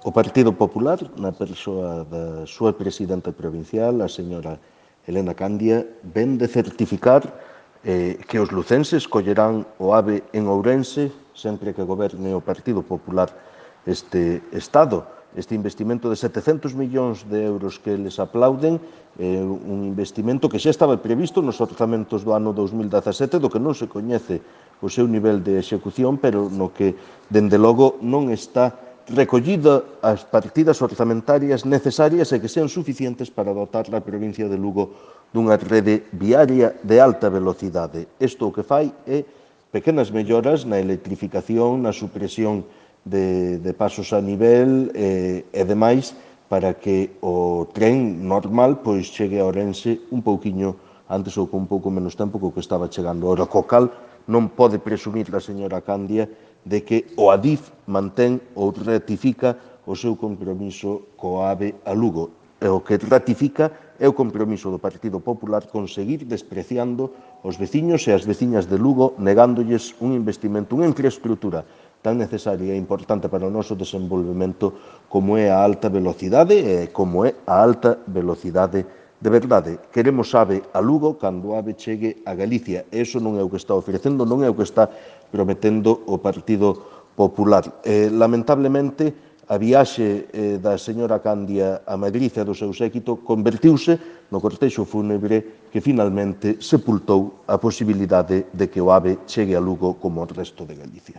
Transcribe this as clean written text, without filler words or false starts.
O Partido Popular, na persoa da súa presidenta provincial, a señora Elena Candia, vén de certificar que os lucenses collerán o AVE en Ourense sempre que goberne o Partido Popular este Estado. Este investimento de 700 millóns de euros que eles aplauden é un investimento que xa estaba previsto nos orzamentos do ano 2017, do que non se coñece o seu nivel de execución, pero no que, dende logo, non está recollida as partidas orzamentarias necesarias e que sean suficientes para dotar a provincia de Lugo dunha rede viaria de alta velocidade. Isto o que fai é pequenas melloras na electrificación, na supresión de pasos a nivel e demais para que o tren normal pois chegue a Ourense un pouquiño antes ou con un pouco menos tempo que o que estaba chegando. Ora, co cal non pode presumir a señora Candia de que o Adif mantén ou ratifica o seu compromiso co AVE a Lugo. E o que ratifica é o compromiso do Partido Popular con seguir despreciando os veciños e as veciñas de Lugo, negándolles un investimento, unha infraestructura tan necesaria e importante para o noso desenvolvemento como é a alta velocidade e como é a alta velocidade de verdade. Queremos AVE a Lugo cando o AVE chegue a Galicia. E iso non é o que está ofrecendo, non é o que está prometendo o Partido Popular. Lamentablemente, a viaxe da señora Candia a Madrid e do seu séquito convertiuse no cortexo fúnebre que finalmente sepultou a posibilidade de que o AVE chegue a Lugo como o resto de Galicia.